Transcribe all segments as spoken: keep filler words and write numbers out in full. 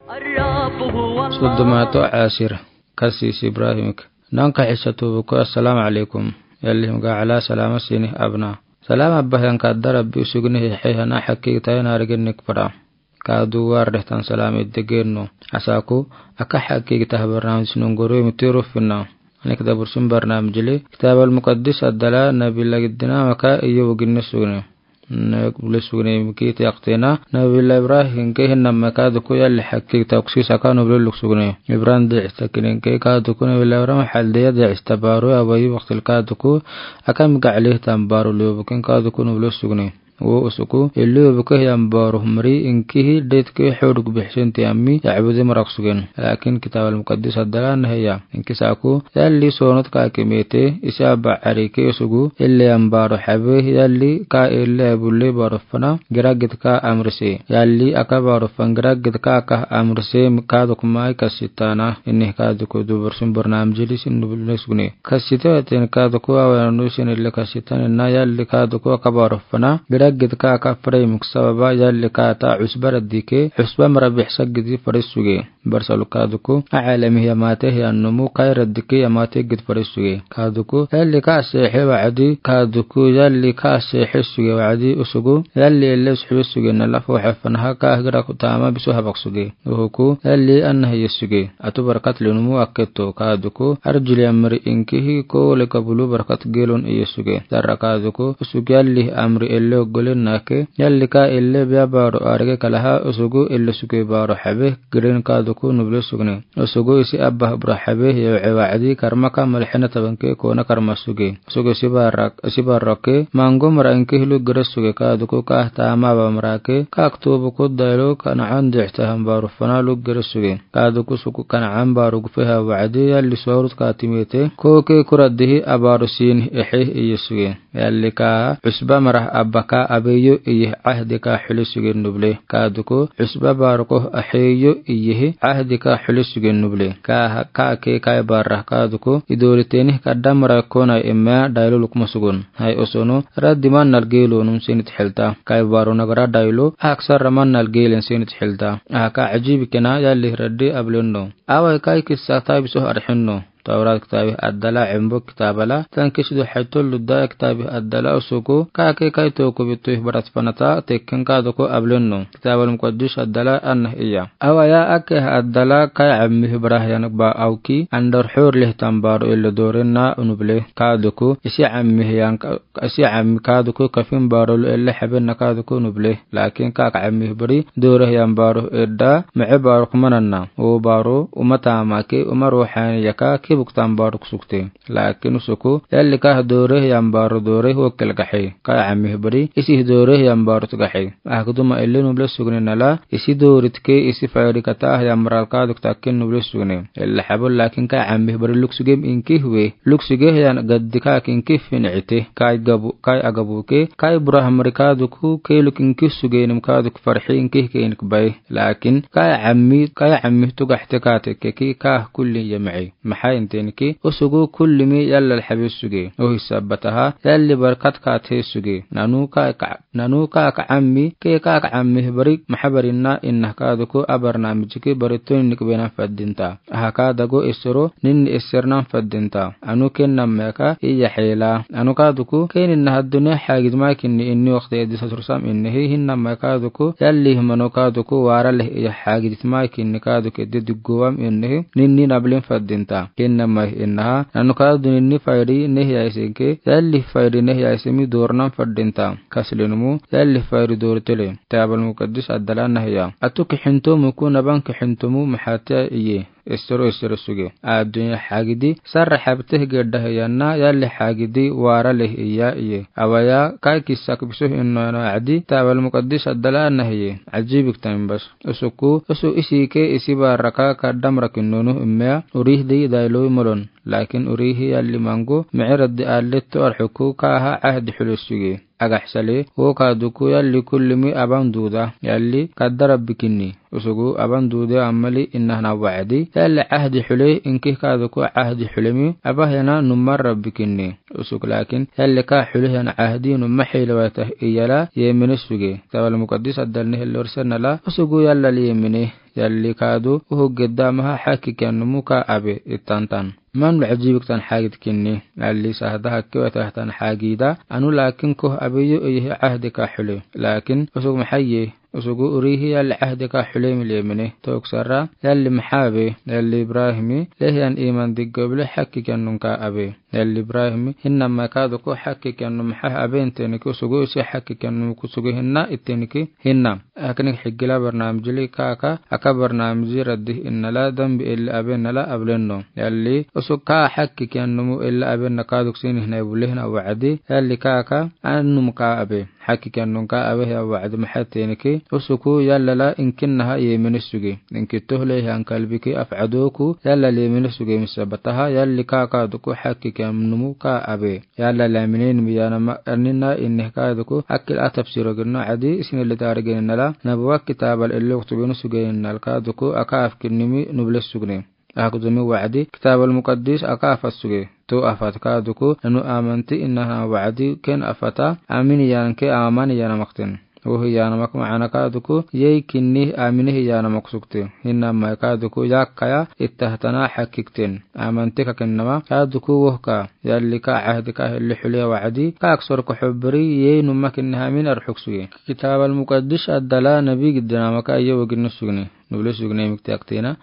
Soddomato asir. Kasis Ibrahimik. Naŋka hissa tuubu ko, assalaamu alaykum. Yallihiim ga ala salaama siini abna. Salaama bahiyanka darabi usugni hi hei hana hakki tayi naarigin nik para. Kaadu waar dehtan salaama idegeno. Asaku, aka hakki taha barnaamij nunguru mitiru fina. Anik da bursun barnaamij li, Kitaabal Muqaddis addala nabi lagidina maka iyo wugin ni sugni. Nubli sugni miki tiyaqtina, nabi la Ibrahim ke hinna maka duku yalli hakki takusisa ka nubli luk sugni. Ibrahim de ista kinin ke ka duku nabi la Ibrahim hal de ya de ista baru awayi waqtil ka duku, aka mi gaali tan baru lubukin ka duku nubli sugni. Wo usuku, illi obuke hiyan baru mri inkihi detke huduk bihsin tiyami, ya abudi marak sugen. Lakin Kitaabal Muqaddis addala nahiya. Inki saku, yalli sonot ka kimete, isi aba arike usugu, illi yan baru habe, yalli ka illi abulle baru fana, giragit ka amrise. Yalli aka baru fan giragit ka aka amrise, ka duk mai kasitana, ini ka duk du bursun barnaamij li sin nubli sugni. Kasita ten ka duku awa nusin illi kasita na yalli ka duku aka baru fana, giragit ka aka fare muk sababa yalli ka ta usba radike, usba mara bihsa gidi fare suge. Barsalu ka duku, a alami ya mate ya numu kai radike ya mate gidi fare suge. Ka duku, yalli ka sehe waadi, ka duku, yalli ka sehe suge waadi usugu, yalli illi suge suge na lafu hafana haka gira kutama bisu habak suge. Uhuku, yalli anna hiye suge. Atu barkat linumu akketo ka duku, arjuli amri inkihi ko leka bulu barkat gelon iye suge. Darra ka duku, usugi yalli amri elle oggolen nake, yalli ka elle biya baru arge kalaha usugu elle suge baru habe, giren ka duku nubli sugni. Usugu isi abba bura habe, yewe waadi karmaka malhena tabanke kona karma suge. Suge sibarak, sibarake, mango mara inkihi luk gere suge ka duku ka tama ba marake, ka aktubu ku dailu ka na andi ihtahan baru fana luk gere suge. Ka duku suku ka na an baru gufe ha waadi yalli sorut ka timete, ko ke kura dihi abaru sin ehe iye suge. Yalli ka usba mara abba ka abeyo iye ahdi ka huli suge nuble. Ka duku usba baru ko aheyo iye ahdi ka huli suge nuble. Ka, ka ke kai barra ka duku idoli teni ka damra kona ema dailu lukma sugun. Hai osono, raddi man nal gelo nun sinit helta. Kai baro nagara dailu, aksar man nal gelen sinit helta. Aka ajibi kena yalli raddi ablenno. Awai kai kissa tabi soh arhenno. Tawrat kitabi addala embo kitabala, tan kisidu haitul ludda kitabi addala usuku, ka ke kai toku bitu barat panata, tekken ka doko ablenno. Kitaabal Muqaddis addala anna iya. Awaya ake addala kai ammi hibrah yan ba awki, andar hur leh tan baru illa dorenna unuble ka duku, isi ammi yan ka, isi ammi ka duku kafin baru lu illa heben na ka duku nuble. Lakin ka ka ammi hibri, dore yan baru edda, me'e baru kumananna. O baru, umata make, uma ruhani yaka, kibuk tan baru kusukte. Lakin usuku, yalli ka dore yan baru dore ho kelgahe. Ka ammi hibri, isi dore yan baru tugahe. Akuduma ille nuble sugni nala, isi doritke, isi fayri kata, yan maral ka duk takin nuble sugni. Illa habul lakin ka ammi hibri luk sugem inki hwe. Luk suge yan gaddi ka kinki fin'ite. Kai gabu, kai agabu ke, kai burah mari ka duku, ke luk inki suge nim ka duk farhi inki ke inik bai. Lakin, kai ammi, kai ammi tugahte ka teke ki ka kulli yam'i. Maha inten ki, usugu kulli mi yalla alhabi suge. O hisabataha, yalli barkat ka te suge. Nanu ka ka Nanu ka ka ammi, ke ka ka ammi bari, mahabarinna inna ka duku abarnamij ki bari tun nik bena faddinta. Aha ka dago isro, nin isirnan faddinta. Anu ken namma ka iya hela. Anu ka duku, ken inna haddune hagid ma kinni inni waqti eddi satursam inni hi hin namma ka duku, yalli himano ka duku wara leh iya hagid ma kinni ka duku eddi duguwam inni hi, ninni nablin faddinta. Ken namma innaha, anu ka dun inni fayri neh ya isinke, yalli fayri neh ya isimi dornan faddinta. Kaslinumu, yalli fayri doritele. Kitaabal Muqaddis addala nahiya. Atu kixintomu ku naban kixintomu maxaatiya iye. Isro isro suge. Addunya hagidi, sarra habteh gedda hiyanna, yalli hagidi, wara leh iya iye. Awaya, kai kisak bisuh inno eno adi, Kitaabal Muqaddis addala nahiye. Ajibik tamin bas. Usuku, usu isike isiba raka kaddam rakin nunu immea, urih di dailu molon. Lakin urihi yalli mangu, mi'irad di allit tuar huku kaha ahdi hulusugi. Agaxsale, wo ka duku yalli kullimi aban duda, yalli kadda Rabbi kinni. Usugu aban duda ammali innahna wa'adi, yalli ahdi hule, inki ka duku ahdi hulemi, abahyana numar Rabbi kinni. Usugu lakin, yalli ka hule yana ahdi numma hilawata iyala, yemini sugi. Kitaabal Muqaddis addalni hillor sennala, usugu yalla li yemini. Yalli kaadu, uhu gedda maha hakki kiyan numu ka abe itantan. Man bɛ ajiibik tan hagid kinni. Yalli sahda hakki wata tan hagida. Anu laakin koh abeyo iyihi ahdi ka hule. Laakin usug mahaye. Usugu urihi yalli ahdi ka hule mile mine. Toksara yalli mahabe. Yalli Ibrahimi. Lehiyan iman diggo bile hakki kiyan nun ka abe. Yalli Ibrahimi. Hinna ma kaadu ko hakki kiyan nun maha abe inteniki usugu isi hakki kiyan nun kusugu hinna iteniki hinna. Akini higila barnaamijili kaaka, aka barnaamiji raddi innala, dambi elli abe nala ablenno. Yalli, usug ka hakki kiyan numu elli abe na kaaduk sini hina bule hina wa'adi. Yalli kaaka, an numu ka abe. Hakki kiyan nun ka abe ya wa'adi mahateniki. Usuku yallala inkinnaha yemini sugi. Inki tohle han kalbiki af'adoku, yalla lemini sugi misabataha, yalli kaaka duku hakki kiyan numu ka abe. Yalla laminen miyanama anina inne kaduku akil atab siro ginno adi isine le tari gini nala nabuwa kitabal ello kutubinu suge nal kaduku aka afkin nimi nuble sugne. Akudumi wa'adi kitabal muqaddis aka afat suge. To afat kaduku nanu amanti innaha wa'adi ken afata amin yan ke aman yana makten. Wohi yanamak ma'ana kaduku, yei kinni aminihi yanamak sukte. Hinna mai kaduku, yakkaya ittahtana hakikten. Amanti kakinnama, kaduku wohka, yalli ka ahdi ka helli hule wa'adi, ka aksor ka hubbiri, yei numma kinni hamin arhuk sugi. Kitab al-Muqaddis addala nabi giddinama ka yei wagin sugni. Nubli sugni mikti aktina,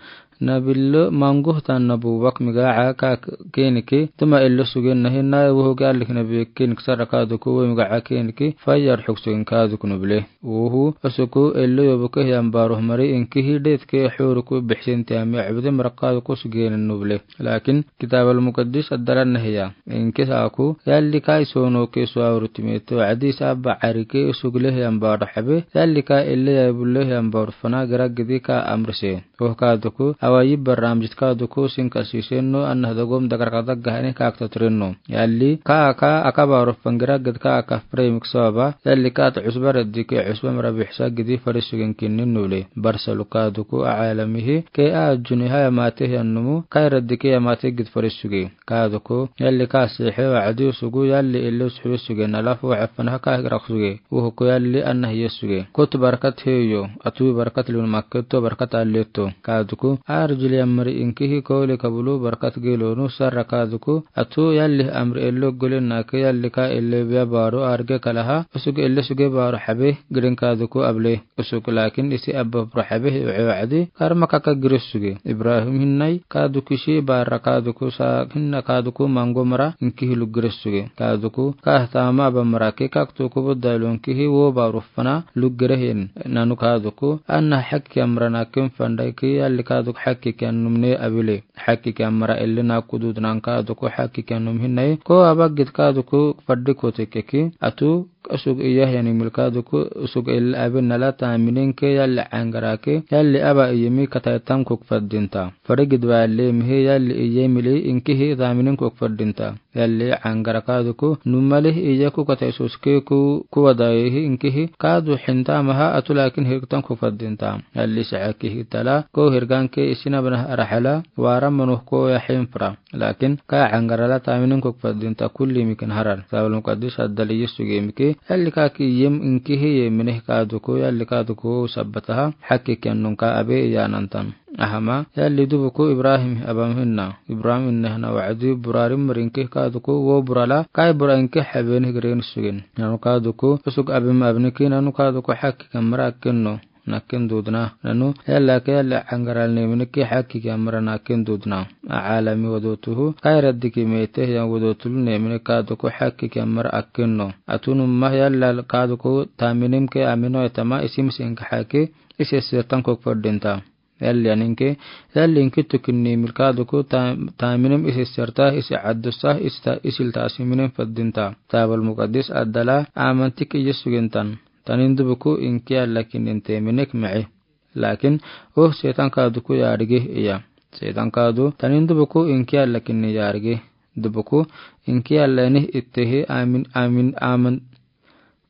Nabillo manguhtan nabuwak migaca ka keniki, tuma illo sugen nahi na wuhu gallik nabi kenik sara kaduku we migaca keniki, fayar huk sugen kaduku nuble. Wuhu, asuku illo yobuke hiyan baruh mari inkihi detke huruku bihsinti ami abdi marak kaduku sugen nuble. Lakin, kitab al-Muqaddis addalan nahiya. Inki saku, yalli ka isono ke suawru timete, wa'adi sa ba'ari ke usugle hiyan baruh habe, yalli ka ille ya bulle hiyan baruh fana geragidi ka amrise. Woh kaduku, awayi barramjit kaduku sin kasisenno, annah dagom dagar kadak gahani ka aktatrenno. Yalli, ka aka, aka baruh fangiragid ka aka frame ksaba, yalli ka ta usba raddi ke usba mara bihsa gidi farisugen kinni nule. Barsalu kaduku, a alamihi, ke a juni haya mate hiyan numu, kai raddi ke ya mate gid farisuge. Kaduku, yalli ka sihe wa'adi usugu, yalli ille usugu suge, nalafu afana ka hirak suge. Wuhuku yalli annah yesuge. Kutu barkat heyo, atu barkat lun makketo barkat alleto. Kaduku, arjili amri inkihi koli kabulu barkat gelonu sarra kaduku, atu yalli amri ello gole nake yalli ka ille biya baru arge kalaha, usugu ille suge baru habe, gidin kaduku able. Usuk lakin isi abba pura habe wa'adi, karma kaka giris suge. Ibrahim hinnai, kaduku isi bara kaduku sa, hinna kaduku mango mara, inkihi luk giris suge. Kaduku, kahtama abba mara ke kaktuku budda lunkihi wo baru fana, luk girihin. Nanu kaduku, anna hak kiyan mara nakin fandai ki, yalli kaduku hak kiyan numne abile. Hak kiyan mara ille naku dudnan kaduku hak kiyan num hinnai, ko abba gid kaduku faddi kote keki, atu, Usug iya yani milka duku, usug il abin nala taminin ke yalli angara ke, yalli aba iyemi katai tan kuk faddinta. Farigid wa yalli mihi yalli iyemili inkihi taminin kuk faddinta. Yalli angara ka duku, numali iyeku katai suske ku, kuwadayihi inkihi, kadu hinta maha atu lakin hirktan kuk faddinta. Yalli sa'akihi tala, ko hirgan ke isina bana rahala, wara manuh ko ya hinfra. Lakin, ka angara la taminin kuk faddinta kulli mikin harar. Kitab al-Muqaddis addali yesuge miki, yalli ka ki yem inkihi yemine ka duku, yalli ka duku sabbataha, hak kiyan nun ka abe iyanantan. Ahama, yalli dubuku Ibrahim abam hinna. Ibrahim inna hana wa'adi burarim rinki ka duku, wo burala, kai bura inki habeni gren sugen. Nanu ka duku, usug abim abniki, nanu ka duku hak kiyan mara kinno. Nakin dudna. Nanu, yalla ke yalla angaral nemini ke hak kiyan mara nakin dudna. A alami wadotuhu, kai raddi ki mete yan wadotul nemini ka duku hak kiyan mara akinno. Atu numma yalla ka duku taminin ke amino etama isim sin ka haki, isi sirtan kuk faddinta. Yalli aninke, yalli inki tukin nemil ka duku ta-, taminin isi sirta, isi addusa, isi ta-, isil tasiminin faddinta. Kitab al-Muqaddis addala, amantik yesugintan. Tanin dubuku inki yalla kinin teminik ma'i. Lakin, oh, setan ka duku yarigi iya. Setan ka du, tanin dubuku inki yalla kinin yarigi. Dubuku inki yalla nih ittihi amin, amin, amin.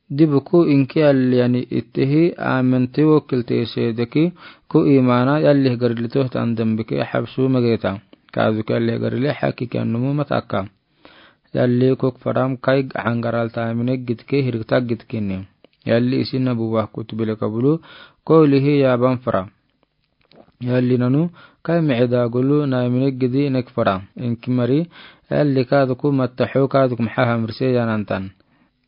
Dubuku inki yalla yani ittihi amin tiwokil te sedeki ku imana yalli garilito tan dambike habsu mageta. Ka duku yalli garile hak kiyan numu mataka. Yalli kuk faram kai angaral tamine gitke hirkta gitkini. Yalli isi nabuwa kutubile kabulu, ko lihi yaban fara. Yalli nanu, kai miidaagulu naimine gidi nek fara. Inki mari, yalli kaaduku mattaxo kaaduku maxa hamrise yanantan.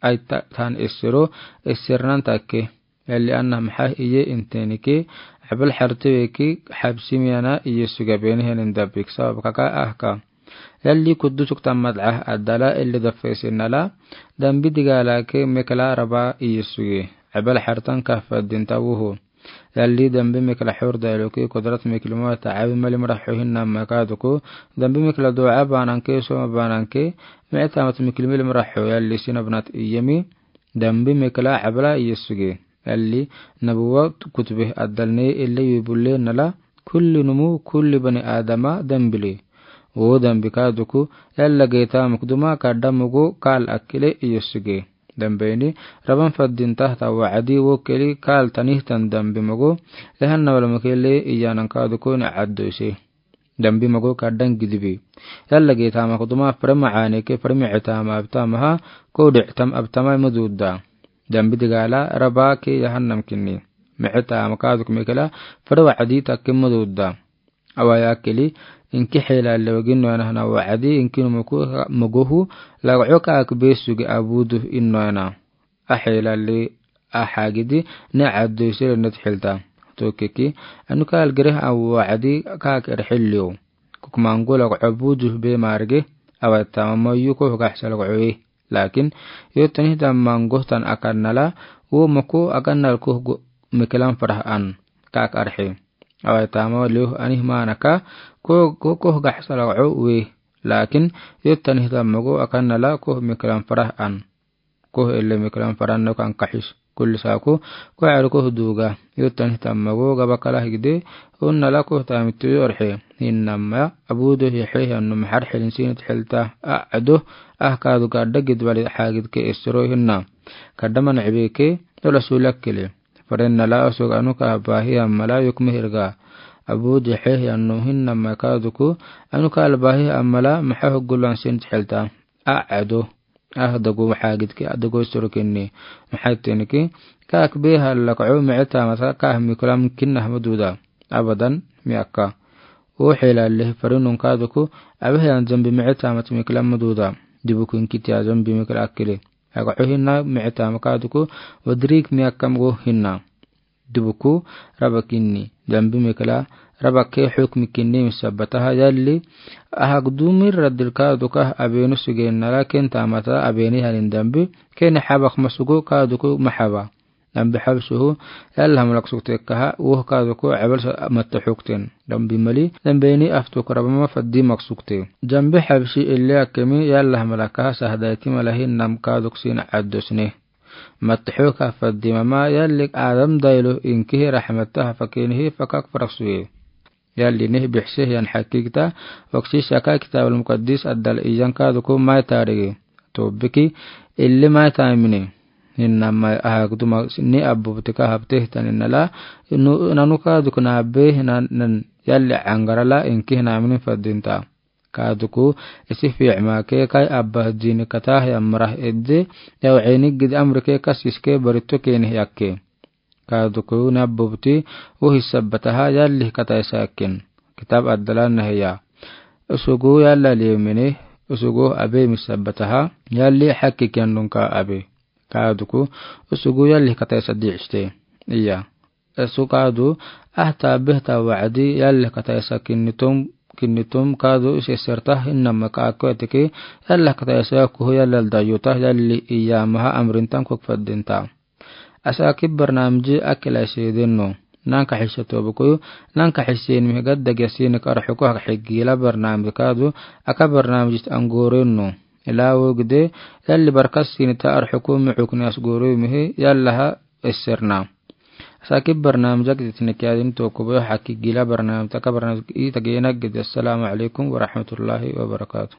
Aita tan essero, essernan takke. Yalli anna maxa iye intenike, abal xarte weki, xabsi miyana iye suge beni henin dabik sabab kaka ahka. Yalli kudusuk tamad ah adala illi dafesin nala, dambi digala ke mekla raba iye suge. Abal xartan kahfadin tawuhu. Yalli dambi mekla xor dailoki kudrat mekli mota abi mali maraxo hinna makaduku. Dambi mekla doa bananke, soma bananke, meta mat mekli mali maraxo yalli sinabnat iyemi. Dambi mekla abala iye suge. Yalli nabuwa kutube adalne ille yubulle nala kulli numu kulli bani adama dambile. O dambi kaaduku yalla geeta mukduma kaadda mogo kaal akile iye suge. Dambi ini raban faddin tahta wacadi wo keli kaal tanihtan dambi mogo. Yahanna wala mukele iyanan kaaduku ni caddoise. Dambi mogo kaaddan gidibi. Yalla geeta mukduma fare macaaneke fare micitaama abtamaha ko dhictam abtama mududda. Dambi digala raba ke yahannam kinni. Micitaama kaaduk mekela fare wacadi takke mududda. Awa yakeli inki xeelalle wagin noyana hana wacadi inki numuku mogohu lagco kaak besuge abudu in noyana. Axeelalle axagidi ne caddoisele net xilta. Tokeki anu kaal gereh awa wacadi kaak erxilliyo. Kuk mango lagco budu be marge awa tamama yuko gaxsa lagcoe. Lakin yotanihda mangohtan akannala wo moko akannal koh mekelan farah an kaak arxe. Awa tama lioh anih manaka ko koh gaxsa lagco we. Lakin yotanihda mogo akannala koh mekelan farah an. Koh elle mekelan farah no kan kaxis. Kulli sako ko aru koh duga yotanihda mogo gabakala higde. Unnala koh tamituyo arxe hinnama abudo hixe hianno maxar xilin sinit xilta. Ado ah kaadu gaadda gidbali xaagidke essero hinna. Kaddaman cibeke dola suulakkele. Farennala asug anuka baahi ammala yukme hirga. Abudo hixe hianno hinnama kaaduku anuka albaahi ammala maxa hoggulan sinit xilta. Ado ah dago xaagidke dago essero kinni. Maxaitenike kaak beha lagco micitamata kaah mikulam kinnah maduda. Abadan miyakka. O xeelalle farinun kaaduku abeheyan zambi micitamat mikulam maduda. Dibuku inkitiya zambi mikila akkele. Lagco hinna micitama kaaduku wadrik miyakka mogo hinna. Dibuku raba kinni dambi mekela raba ke xukmi kinni misabataha yalli ahagdumir radil kaaduka abenu sugen nala ken tamata abeni hanin dambi ken xabak masugo kaaduku maxaba. Dambi xabsuhu yalla hamlak sukte kaha woh kaaduku abal matta xukten. Dambi mali dambeni aftuk raba mafaddi mak sukte. Dambi xabsi ille akemi yalla hamlak kaha sahdaiti malahi nam kaaduk sin caddosne. Mattaxo kahfaddi mama yalli adam daylo inkihi raxmatta hafakenihi fakak faraksuye. Yalli nih bixseh yan xakigta waksisaka kitaabul mukaddis addal iyan kaaduku mai taarigi. Tobiki illi mai taamine. Hinnama ahagduma ni abbubtika habtehtaninala nanu kaaduku naabe hinan yalli cangarala inkihi naaminin faddinta. Kaaduku isi fiicmake kai abba dini kataah yamrah edde yawceni gid amrike kasiske barito kenih yakke. Kaaduku nabbubti wuhi sabbataha yallih kataisa yakken. Kitab addalan nahiya. Usugu yalla liyemini usugu abe misabbataha yalli xakki kiyandunka abe. Kaaduku usugu yallih kataisa diicste. Iya. Esu kaadu ahta behta wacdi yallih kataisa kinnitum kinnitum kaadu iseserta hinnama kaakoyatiki yallih kataisa kuhu yallal dayuta yalli iyamaha amrintan kuk faddinta. Asaki barnaamiji akila iseedinno. Nanka xisatobukuyu nanka xiseenimi gadda gasinik arxuku hak xigila barnaamiji kaadu aka barnaamijit angorinno. Ila wogde yalli barkas sinita arxuku muxukni asgoriyumihi yallaha iserna. Asaki barnaamijak ditinikyadin tokubo xaki gila barnaamij taka barnaamij ita geenak gede. Assalamu alaikum warahmatullahi wabarakatuh.